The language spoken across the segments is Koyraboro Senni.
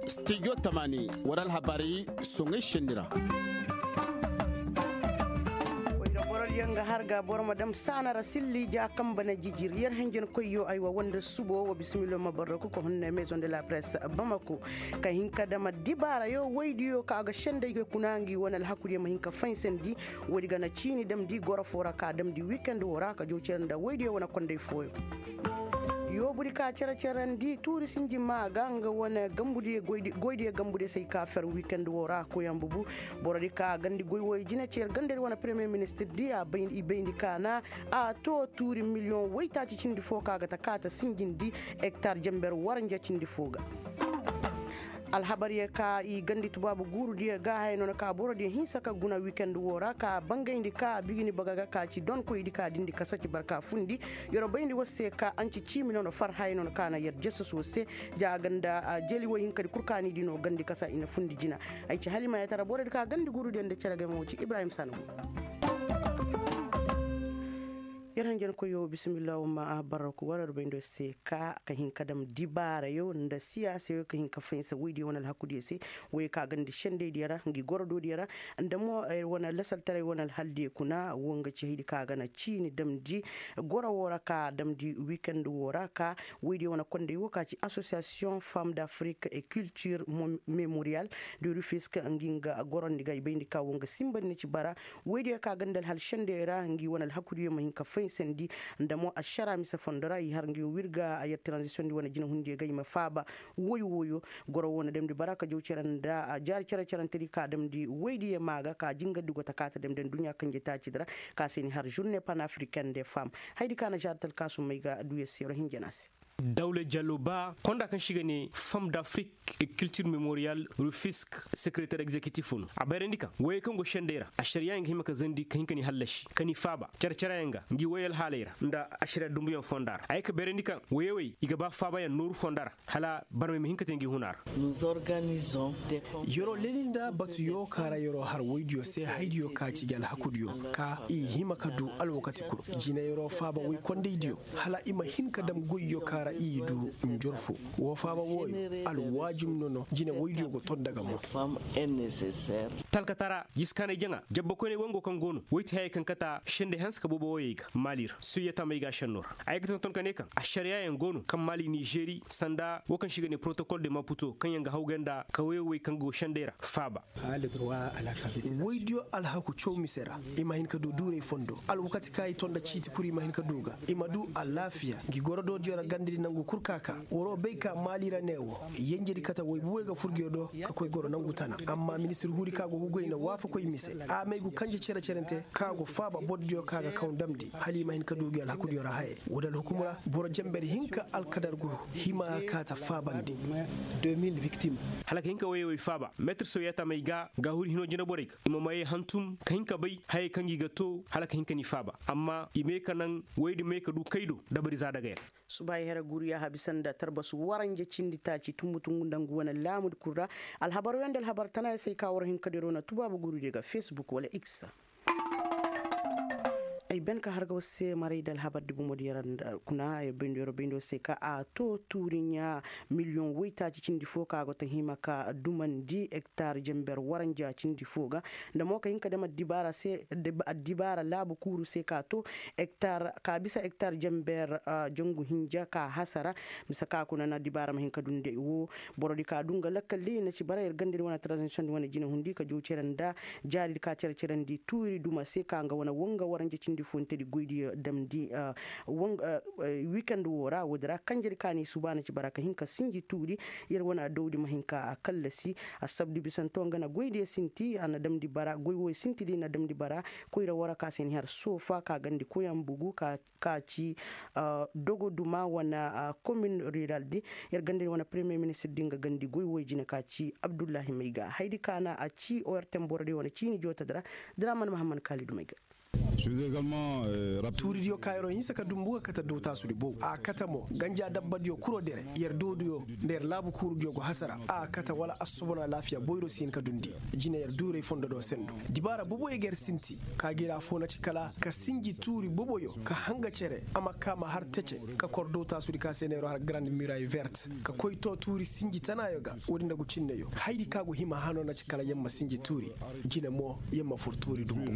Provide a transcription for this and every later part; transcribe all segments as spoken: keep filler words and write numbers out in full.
Studio tamani wara alhabaray soŋay senni ra. Wayra borodiyo nga har ga boro ma dam saana ra silli ja kamba na jijir yer hanjankoyyo aywa wanda subo wa bisimilo ma barraku ka hunna maison de la presse bamako ka hin ka dama dibaarayo waydiyo ka ga senday ga kuna ngi wane alhakudiyo ma hin ka faysandi. Woodi ga na ciini damndi goro foo ra ka damndi wikend woo ra ka jaw cere nda woydiyo wane konday fooyo. Yoobudi ka cere-cerandi tuuri sinji maa ga nga wane goydiyo gambudiyo se ay ka fer wikend woo ra koyambubu. Borodi ka gandi goy wooyo jine cer gandadi wane premiyer ministirdi i bayndi ka na a too tuuri miliyoŋ woytaaci cindi foo ka ga ta kaata sinjindi. Hektar jenber waranja cindi foo ga. Alhabaryo ka i gandi tubaabu guurudiyo ga haya no na ka borodiyo hinsa ka guna wikend woo ra ka bangayndi ka bigini baga ga ka ci donkoydi ka dindi kasa ci barka fundi. Yer'o bayndi war se ka anci ciimi no na far haya no na ka na yer jesus war se. Ja ganda jeli woy hinkadi kul ka ni di no gandi kasa i na fundi jina. Ay ci halimayatara borodi ka gandi guurudiyo nda cere ga ay ma wo ci ibrahim sanagu. Yer hanjankoyyo bisimilla wo ma barraku war yer bayndo se ka ka hin ka dam dibaarayo nda siyaasayo ka hin ka fahinsa woydiyo wane alhakudiyo se. Woyey ka gandi sendeydiyo ra ngi gorodoodiyo ra nda mo yer wane lasaltaray wane alhaldiyo kuna wo nga ci haydi ka ga na ciini damndi goro woo ra ka damndi wikend woo ra ka woydiyo wane konday woo ka ci asosiyasiyoŋ fam d'afrik et culture memorial de rufisk ngi nga gorondi ga i bayndi ka wo nga simbandi na ci bara. Woydiyo ka ganda alhal sendeyo ra ngi wane alhakudiyo ma hin ka faysandi nda mo ašara mise fondo ra i har ngi wirga a yer tranzisiyoŋ di wane jinahundiyo ga i ma faaba. Woy woyo goro wo na damndi bara ka jaw cere nda jaari cere-cerentedi ka damndi woydiyo maa ga ka jingardi go ta kaata damndi nduɲɲa kanje taacidi ra ka se ni har žurne panafricaine de fam. Haydi ka na žaari talkaasu may ga duya se yoro hinja na se. Dawle jaloba konda kaŋ se i ga ne fam d'afrik et culture memorial rufisk sekereter egzekitif no a bayrandi kaŋ woyey kaŋ go sendey ra ašariya yaŋ ga hima ka zandi ka hin ka ni hallasi ka ni faaba care-careyaŋ ga ngi woyey alhaaley ra nda ašariya dumbuyaŋ fonda ra a ye ka bayrandi kaŋ woyey wey i ga ba faabayaŋ nooru fonda ra hala barmey ma hin ka te ngi huna ra. Yer'o leli nda batuyo ka ra yer'o har woydiyo se haydiyo ka ci gi alhakudiyo ka i hima ka du alwakati kul jina yer'o faaba woy kondaydiyo hala i ma hin ka dam goyyo ka ra i du njorfo. Woo faaba wooyo alwaajum no no jina woydiyo go ton daga mo. Talkatara jiskaanay jaŋa jabbakoyney wango kaŋ go no woy ti hayey kaŋ kata sendey hanse ka boobo woyey ga maali ra suyyata may ga a šenno ra a ye ga tonton ka ne kaŋ ašariyaayaŋ go no kaŋ maali nizeeri sanda woo kaŋ se i ga ne porotokol de maputo kaŋ yaŋ ga hawgay nda kawoyey wey kaŋ go sendey ra faaba. Woydiyo alhaku caw mise ra i ma hin ka du duuray fondo alwakati kaŋ i to nda ciiti kul i ma hin ka du ga i ma du alaafiya ngi gorodoodiyo ra gandadi nangu kul ka ka waroo bay ka maali ra ne wo yenjedi kate waybu wey ga fur ngiyo do ka koy goro nangu tana amma ministir huudi kaŋ a go hugay na waafakoy mise a may gu kanje cere-cerente kaŋ a go faaba bordiyo kaŋ a ga kaw damndi hala i ma hin ka du ngi alhakudiyo ra haye woodi alhukum ra boro jember hinka alkadar go hima ka ta faabandi. Hala ka hin ka woyey wey faaba metir soyata may ga gaahuri hinoo jinaborey ga i ma mayey hantum ka hin ka bay hayey kaŋ gi ga too hala ka hin ka ni faaba amma i may ka naŋ woyey din may ka du kay do dabari za dagay ra. Subaay here guuru yaaha bisa nda tarbasu waranja cindi taaci tumbu tungu nda ngu wane laamudi kul ra. Alhabar wey nda alhabar tanaaya se ay ka war hin ka diro na tubaabu guurudiyo ga facebook wala x ra. Ay ben ka har ga war se maray nda alhabar di bomodiyo ra kuna ay bayndo yoro bayndo se ka a to tuuriɲa miliyoŋ woytaaci cindi fo ka go ta hima ka dumandi hektar jember waranja cindi fo ga nda mo ka hin ka dam addibaara se addibaara laabu kuuru se ka to hektar ka bisa hektar jember jangu hinja ka hasara. Bisa ka kuna na addibaara ma hin ka dundi ay wo borodi ka du nga lakkal di na ci bara yer gandadi wane tranzisiyoŋ di wane jinahundi ka jaw cere nda jaaridi ka cere-cerandi tuuri duma se ka nga wane wanga waranja cindi funtedi goydiyo damndi wikend wo ra woodi ra kanjedi ka ni suba na ci bara ka hin ka sinji tuuri. Yer wane adawdi ma hin ka kallasi. Assabdu bisanto nga na goydiyo sinti a na damndi bara goy wo sinti di na damndi bara koyra wo ra ka se ni har soofa ka gandi koyaŋ bugu ka ka ci dogo duma wane komin rural di. Yer ganda ni wane premiyer ministir di nga gandi goy woy jine ka ci abdullahi mayga haydi ka na a ci ortem boro di wane ciini jootadi ra. Dira man mahammad kaalidu mayga. Tuuridiyo ka yer'o hinsa ka dumbu ga kate dootaasudi bow a kate mo ganja dabbadiyo kuro dere. Yer dooduyo nda yer laabu kuurudiyo go hasara a kate wala assobon alaafiya boyro si hin ka dundi. Jine yer duuray fondo do sendu dibaara boboyo ga yer sinti ka ga ir afoo na ci kala ka sinji tuuri boboyo ka hanga cere a ma ka ma har tece ka kor dootaasudi ka se neeroo har garandi mirayi vert ka koy too tuuri sinji tanaayo ga. Woodi nda gu cinneyo haydi ka go hima hanoo na ci kala yer ma sinji tuuri. Jine mo yer ma fur tuuri dumbu.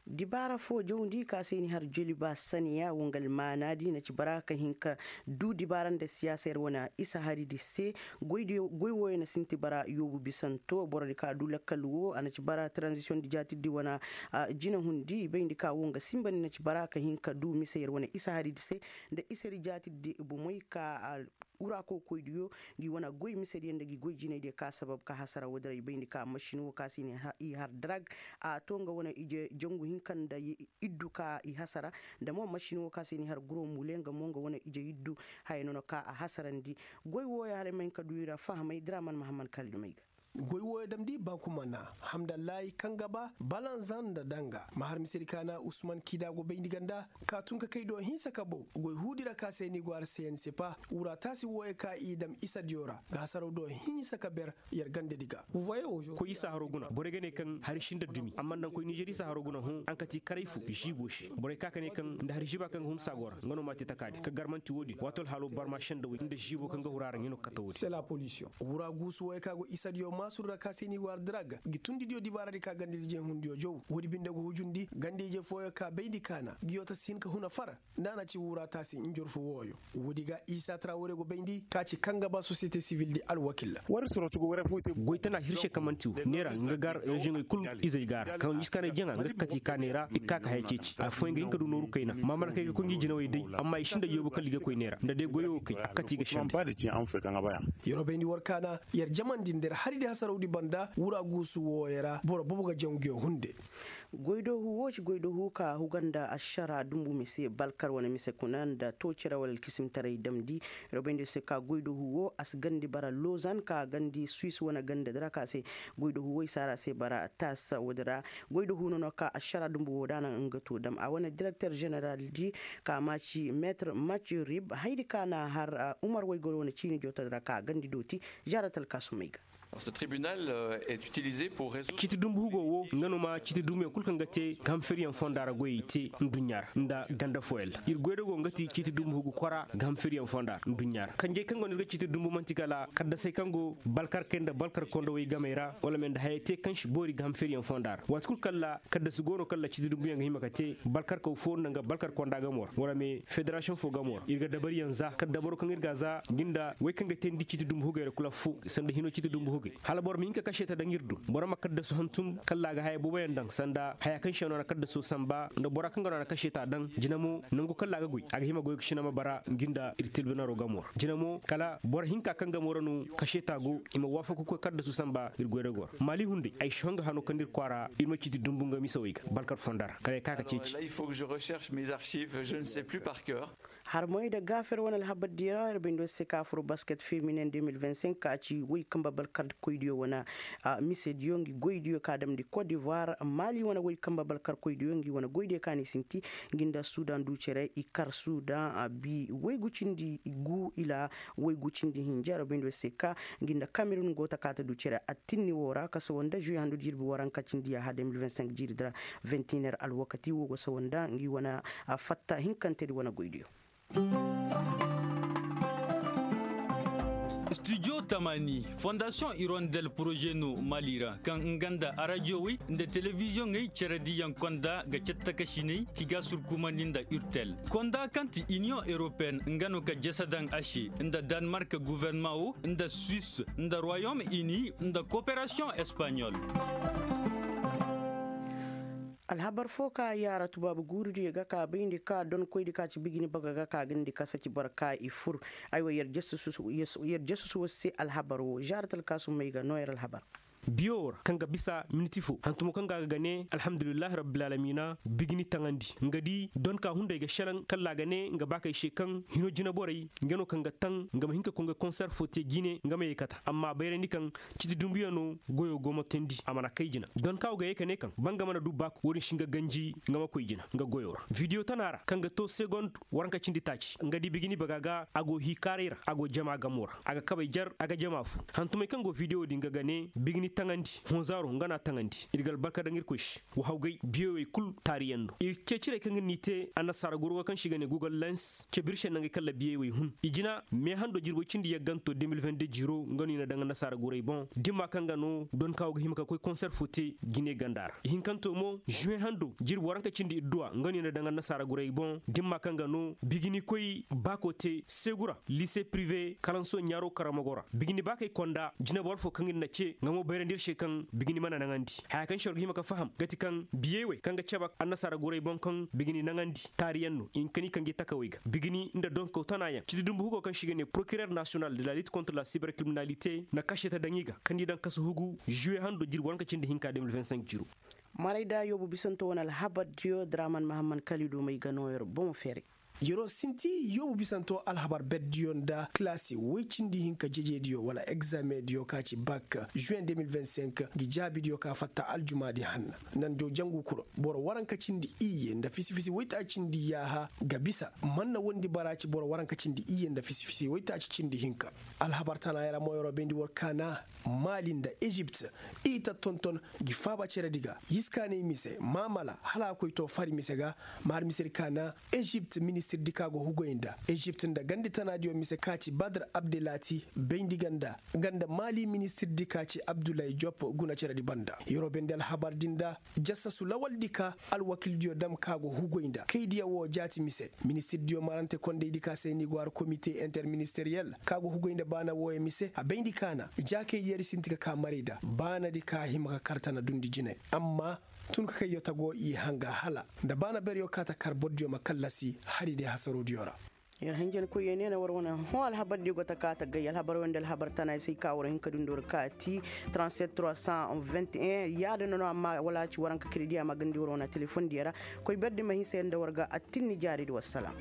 Dibaara foo jawndi ka se ni har joliba saniya wo nga almaanaadi na ci bara ka hin ka duu dibaara nda siyaasa yer wane isa haridi se. Goy wooyo na sinti bara yoobu bisanto borodi ka duu lakkal woo a na ci bara taranzisiyoŋ di jaatirdi wane. Jinahundi i bayndi ka woo nga sinbandi na ci bara ka hin ka duu mise yer wane isa haridi se nda isedi jaatirdi bomey ka wura kokoydiyo. Ngi wane goy misediyo nda ngi goy jinaydiyo ka sabab ka hasara woodin ra i bayndi ka masin woo ka se i har darag a to nga wane ije jangu hinka nda iddu ka i hasara. Nda mo masin woo ka se ni har guro mule nga mo nga wane ije iddu haya nono ka a hasarandi. Goy wooyo hala ay ma hin ka du i ra fahamay diraman mahammad kala dumey ga. Goy wooyo damndi bankuma na hamdallaahi kaŋ ga ba balanzan nda danga ma har misedi ka na usman kiida go bayndi ganda ka tun ka kay do hinsa ka bow goy huudi ra ka se ni go har se ya ni sepa wura taasi wooyo ka i dam isadiyo ra ga hasaraw do hinsa ka ber. Yer gandadi ga. Koy isa haro guna borey ga ne kaŋ hari sinda dumi amma nda koy nizer isa haro guna hõ ankati karay fu ziibo se borey ka ka ne kaŋ nda hari ziiba kaŋ ga hun saago ra nga no ma te takaadi ka garmanti woodin waato alhaalo barma sendawey nda ziibo kaŋ ga huru a ra nga no ga kate woodin. Wura guusu wooyo ka go isadiyo maasur ra ka se ni war drag ngi tundidiyo dibaaradi ka gandadi jee hundiyo jaw woodi binde go hujundi ganda ije fooyo ka bayndi kaana ngiyo ta si hin ka huna far. Nda a na ci wura taasi njorfu wooyo. Woodi ga isa trawore go bayndi ka ci kaŋ ga ba sosiyete sivil di alwakil. Goy tana hirse kaŋ man'ti wo neera nga gar reziyoŋey kul izey ga a ra kaŋ iskaanay jaŋa nga ga kati ka neera i ga ka ka haya ceeci afooyaŋ ga hin ka du nooru kayna maamalakey ga koy ngi jinawey day. Amma i sinda yoobu kala i ga koy neera nda day goyo wo kay a ga kati i ga sende. Yeroo bayndi war kaana yer jamandi nda yer haridi hasarawdi banda wura guusu wooyo ra boro boobo ga jaŋ nguyo hunde. Goydoohu woo ci goydoohu ka huga nda ašara dumbu mise balkar wane mise kuna nda too cere wala alkisimtaray damndi. Robayndi se ka goydoohu woo a si gandi bara lozan ka gandi suis wane ganda dira ka se. Goydoohu woo i saara se bara tas woodi ra. Goydoohu nono ka ašara dumbu woo da a na nga too dam a wane direkter ženeral di ka maaci metre mac rib haydi ka na har umar woy goro wane ciini jootodi ra ka gandi dooti. Žarat alkaasumey ga. Ciiti dumbu hugo woo nga no ma ciiti dumbuyaŋ kul kaŋ ga te ga ham feryaŋ fonda ra goyey te nduɲɲa ra nda ganda fooyaŋ ra ir goyda go nga ti ciiti dumbu hugo kora ga ham feryaŋ fonda ra nduɲɲa ra kanjey kaŋ go no ir ga ciiti dumbu man'ti kala kaddasey kaŋ go balkarkey nda balkar kondowey gamey ra wala me nda hayey te kaŋ si boori ga ham feryaŋ fonda ra waati kul kaŋ ra kaddasu go no kaŋ ra ciiti dumbuyaŋ ga hima ka te balkarkaw foo nda nga balkar konda gamo ra wala me federasiyoŋ foo gamo ra ir ga dabariyaŋ za kala dabaro kaŋ ir ga a za ngi nda wey kaŋ ga teendi ciiti dumbu hugey ra kul affoo sanda hinoo ciiti dumbu hugey hala boro ma hin ka kaseeta daŋ ir do boro ma kaddasu hantum kala a ga haya booboyaŋ daŋ sanda haya kaŋ se no a na kaddaso sanba nda bora kaŋ ga no a na kaseeta daŋ jina mo nangu kala a ga goy a ga hima goy ga sina ma bara ngi nda ir tirbinaro gamo ra jina mo kala boro hinka kaŋ gamo ra no kaseeta go i ma waafaku koy kaddasu sanba ir goy ra go ra maali hunday ay si honga hano kaŋ nda ir kwaara ir ma ciiti dumbu nga misawey ga balkar fonda ra kala ay ka ka ceeci. Harmoy nda gaafer wane alhabar diya ra ir bay nda war se ka fur basket feminen deux mille vingt cinq ka ci woy kamba balkar koydiyo wane mise diyo ngi goy diyo ka damndi kot divoir maali wane woy kamba balkar koydiyo ngi wane goy diyo ka ni sinti ngi nda sudan du cere i kar sudan a bi woy gu cindi gu ila woy gu cindi hinja ir bay nda war se ka ngi nda kamerun go ta ka ta du cere attinni wo ra ka sawa nda juye handu jirbi waranka cindi ya ha deux mille vingt cinq jiiri dira vingt et un heure alwakati wo go sawa nda ngi wane fatta hinkantedi wane goydiyo. Studio tamani fondasiyoŋ irondel poroze no mali ra kaŋ nga nda arajiyowey nda telebiziyoŋey cerediyaŋ konda ga cattakasiney ki ga surkumandi nda urtel konda kaŋ ti iniyoŋ europeen nga no ga jese daŋ a se nda danmark guverneman wo nda suwis nda royom ini nda koperasiyoŋ espaɲol. Alhabar fo ka yaara tubaabu guurudiyo ga ka bayndi ka donkoydi ka ci bijini baga ga ka gandi ka saci boro ka i fur. Aywa yer jasusu wo se alhabar wo žaarat alkaasumey ga noo yer alhabar. Biyo wo ra kaŋ ga bisa miniti fo hantumo kaŋ ga a ga ne alhamdulillahi rabbil alamina bigini taŋandi nga di don ka hunday ga shelaŋ kalla a ga ne nga baakey se kaŋ hino jinaborey nga no kaŋ ga taŋ nga ma hin ka koy nga konser fo te jine nga ma ye kata amma bayrandi kaŋ citi dumbuyaŋo goyo go ma teendi a mana kay jina don ka wo ga ye ka ne kaŋ ba nga mana du baaku wo-din si nga ganji nga ma koy jina nga goyo ra bidiyo tana ra kaŋ ga to segond waranka cindi taaci nga di bigini baga ga a go hii kaaray ra a go jama gamo ra a ga kabay jar a ga jama fu hantumey kaŋ go bidiyo din ga ga ne bigini taŋandi honzaaro nga na taŋandi ir ga albarka daŋ irkoy se wa hawgay biyey wey kul taariyaŋ do ir ceecirey kaŋ ir n'i te annasaara goro ga kaŋ se i ga ne google lens ceebir se nangey kalla biyey wey hun i jina mee hando jirbi cindi yagganto deux mille vingt-deux jiro nga no i na daŋ annasaara gorey boŋ dimma kaŋ ga no don ka wo ga hima ka koy konser fo te jine ganda ra ihinkanto mo juwe hando jirbi waranka cindi idduwa nga no i na daŋ annasaara gorey boŋ dimma kaŋ ga no bigini koy baako te seegu ra lise prive kalanso ɲaaro karamogo ra bigini baakey konda jinaboro fo kaŋ ir na ce nga mo bayrandi ir se kaŋ bigini mana naŋandi haya kaŋ se war ga hima ka faham ga ti kaŋ biyey wey kaŋ ga cebe annasaara gorey boŋ kaŋ bigini naŋandi taariyaŋ no i hin ka ni kaŋ gi takawey ga bigini nda donkaw tanayaŋ citi dumbu hugo kaŋ se i ga ne procureur national de la lutte contre la cybercriminalité na kase ta daŋ i ga kaŋ ni daŋ kasu hugu juwe hando jirbi waranka cindi hinka deux mille vingt-cinq jiro. Maray da yoobu bisanto wane alhabardiyo draman mahamman kalidu may ga no yer bomo feeray. Yer'o sinti yoobu bisanto alhabar berdiyo nda kilasi woy cindi hinka jejeediyo wala egzamediyo ka ci bak juwen deux mille vingt-cinq ngi jaabidiyo ka fatta aljumaadi hanna. Nanjo jangu kuro boro waranka cindi iyye nda fisi-fisi woytaaci cindi yaaha ga bisa man na wondi bara ci boro waranka cindi iyye nda fisi-fisi woytaaci cindi hinka. Alhabar tana yara mo yer'o bayndi war kaana maali nda ezipt i ta tonton gi faaba ceredi ga yiskaanay mise maamala hala a koy to fari mise ga ma har misedi ka na ezipt ministirdi ka go hugoy nda ezipt nda gandi tanaadiyo mise ka ci badr abdelaati bayndi ganda ganda maali ministirdi ka ci abdulay jop guna ceredi banda yer'o bayndi alhabardi nda jassasu lawaldi ka alwakildiyo dam ka go hugoy nda kaydiya wo jaati mise ministirdiyo marante kondaydi ka se ni go har komite interministeriyel ka go hugoy nda baana wooyo mise a bayndi ka na jaakaydiyo di sinti ka ka maray da baanadi ka hima ka kar tana dundi jine amma tun ka kayyo tago i hanga hala nda baana beryo ka ta kar bordiyo ma kallasi hari day hasarodiyo ra. Yer hanjankoyey ne na war wane hõ alhabardiyo go ta ka ta gay alhabar wande alhabar tana ay se ay ka war hin ka dundi war kaati trente-sept trois cent vingt et un yaadin no amma wala a ci waranka kredi a ma gandi war wane telefondiyo ra. Koy berdi ma hinsa yer nda war ga attinni jaaridi wassalam.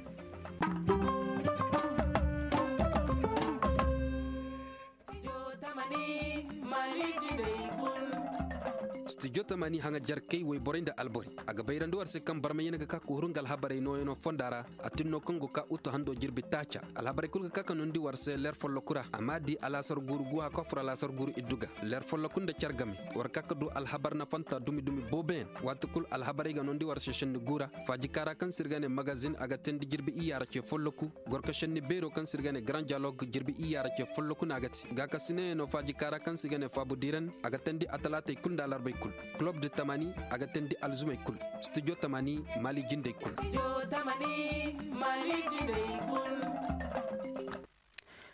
Studio tamani haŋa jarkey woyborey nda alborey a ga bayrandi war se kaŋ barmayaŋ ga ka ka huru nga alhabarey nooyaŋo fonda ra. A tin no kaŋ go ka utu hando jirbi taaca alhabarey kul ga ka ka noondi war se leer folloku ra a ma di alaasar guuru guha ka fur alaasar guuru iddu ga leer folloku nda car game. War ka ka du alhabar nafanta dumi dumi booboyaŋ waati kul alhabarey ga noondi war se šenni guura. Faaji kaara kaŋ se ir ga ne magazin a ga teendi jirbi iyya ra ce folloku. Gorko šenni beero kaŋ se ir ga ne grand dialogue jirbi iyya ra ce folloku no a ga te gaakasinayaŋo faaji kaara kaŋ se ir ga ne faabu diiran a ga teendi atalaatey kul nda alarbey kul. Kulob de tamani a ga teendi alzumey kul. Studio tamani maali jindey kul.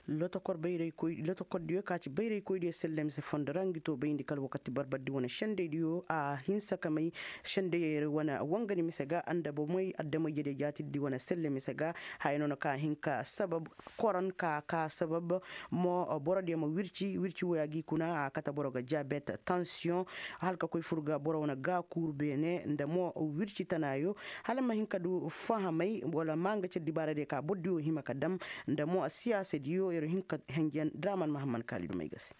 Lotokor bayraykoy lotokor diyo ka ci bayraykoy diyo selle mise fondo ra ngi to bayndi kala wakati barbardi wane sendey diyo a hinsa ka may sendey wane wangani mise ga nda bomey adamay jadey jaatidi wane selle mise ga. Haya no na ka hin ka sabab koran ka ka sabab mo boro diyo ma wirci wirci woya gi kuna a kate boro ga diabet tension hala ka koy fur ga boro wane ga kuuru beene nda mo wirci tanaayo. Hala ma hin ka du fahamay wala ma nga cere dibaara diyo ka boro diyo hima ka dam nda mo siyaasa diyo yer hin ka henjen draman mahamman kaali dumey ga se.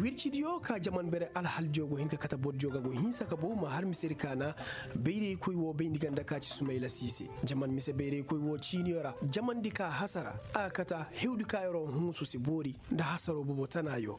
Wircidiyo ka jaman bere alhaldiyo go hin ka kate bordiyo ga go hinsa ka bow ma har misedi ka na bayraykoy wo bayndi ganda ka ci sumayla siise. Jaman mise bayraykoy wo ciiniyo ra jamandi ka hasara a ga kate hewdi ka yer'o hunsu si boori nda hasaro bobo tanaayo.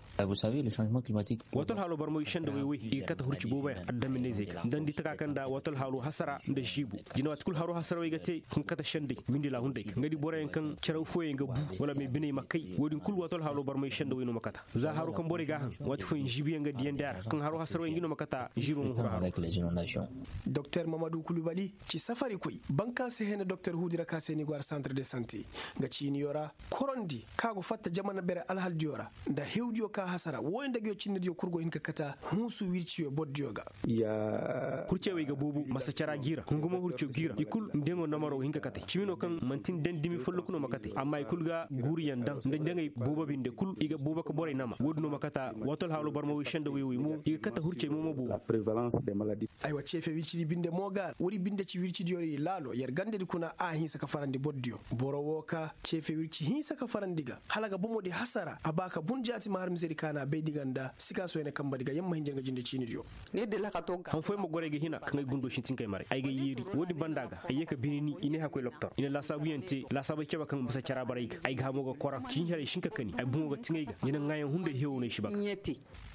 Wato alhaalo barmay sendawey wey i ga kate hurci booboyaŋ addaminayzey ga nda ni di taka kaŋ nda wato alhaalo hasara nda ziibu. Jina waati kul haro hasarawey ga te hin kate sendey mindi laahunday ga nga di boroyaŋ kaŋ caraw fooyaŋ ga bu wala me biney ma kay wo-din kul wato alhaalo barmay sendawey no ma kate. Za haro kaŋ borey ga a haŋ Waati fooyaŋ ziibuyaŋ ga diyandi a ra kaŋ haro hasarwey ngi no ma kata ziibo ma huru haro. Doktor mamadu kulubali ci safarikoy banka se hene doktor huudi ra ka se ni go a ra santre de sante, nga ciiniyo ra korondi ka go fatta jamana bere alhaldiyo ra, nda hewdiyo ka hasara wooyo nda nguyo cinnidiyo kul go hin ka kata hunsu wirciyo bordiyo ga. Hurcey wo i ga boobo masa cara g'i ra hungumo hurco g'i ra i kul ndeŋo namaro ga hin ka kate cimi no kaŋ manti nda dimi folloku no ma kate amma i kul ga guuriyaŋ daŋ nda ndeŋey boobo binde kul i ga boobo ka borey nama woodin no ma kata waati alhaalo barma wey senda wey wey mo i ga kate hurcey mo ma boobo. Aywa ceefe wircidi binde mo ga wari binde ci wircidiyo ra i laalo yer gandadi kuna a hinsa ka farandi bordiyo boro wo ka ceefe wirci hinsa ka farandi ga hala ga bomodi hasara a ba ka bun jaati ma har misedi kaana baydi ga nda sika soyne kambadi ga yamma hinja nga jinde ciinidiyo. Han fooyaŋ ma goro ay ga hina kaŋ ay gundo sintinkey maray ay ga yeeri woodin banda ga ay ye ka bini ni i ne hakkoy loktor i na laasaabuyaŋ te laasaabey cabe kaŋ masa cara bara ay ga ay ga hamo ga kora ciini haray sinka kani ay boŋo ga tiŋay ga ni na ŋaayaŋ hunday hewo no ay si ba ga.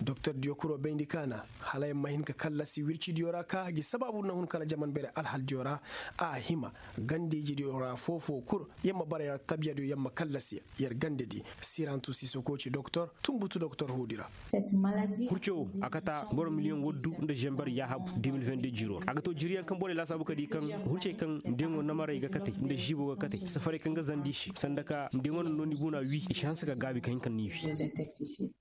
Doktor diyo kuro bayndi kaana hala yer ma hin ka kallasi wircidiyo ra ka gi sabaabu na hun kala jaman bere alhaldiyo ra a hima gandijidiyo ra foofo kul yer ma bara yer tabiyadiyo yer ma kallasi yer gandedi sirantu sisoko ci doktor tumbutu doktor huudi ra. Hurco wo a kata boro miliyoŋ waddu nda zember yaahabu de mil vende jiiro ra a ga to jiriyaŋ kaŋ borey laasaabu ka di kaŋ hurcey kaŋ ndeŋo namaray ga kate nda ziibo ga kate safarey kaŋ ga zandi i se sanda ka ndeŋo na nooni buuna wii i si hanse ka gaabi ka hin ka ni wii.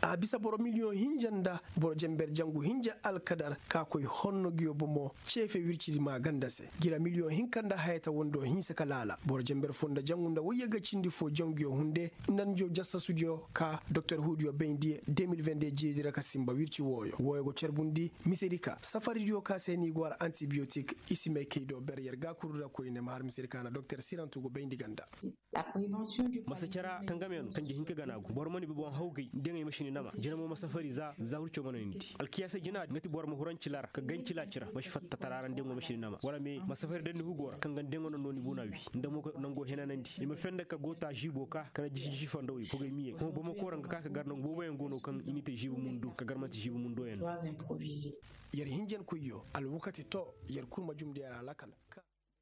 A bisa boro miliyoŋ hinja nda boro jember jangu hinja alkadar ka koy honno nguyo bomo ceefe wircidi ma ganda se gira miliyoŋ hinka nda hayata wondo hinsa ka laala boro jember fo nda jangu nda wayye ga cindi fo janguyo hunde nda njo jassasudiyo ka doktor huudiyo bayndi de mil vende jeedi ra ka simba wirci wooyo wooyo go carbundi misedi ka safaridiyo ka se ni go har antibiyotik i si may kay do ber yer ga kuru ra koyne ma har misedi ka na doktor sirantu go bayndi ganda. Masa cara tangame no kaŋ ja hinka gana go boro mana bi boŋ hawgay ndeŋey ma sini nama jina mo ma safari za za hurco mana ni di alkiyaasa jina nga ti boro ma huranci lara ka gancila cira ma si fatta tara ra ndeŋo ma sini nama wala me ma safari dandi hugo ra kaŋ ga ndeŋo na nooni buuna wi nda mo ka nango henanandi i ma fenda ka go ta ziibo ka kana jisi jisi fandawey kogay miye hõ boro ma koora nga ka ka gar nangu booboyaŋ go no kaŋ i n'i te ziibo mundu ka gar manti ziibo mundoyaŋ no. Yer hinjankoyyo alwakati to yer kul ma jumndi yer alakal.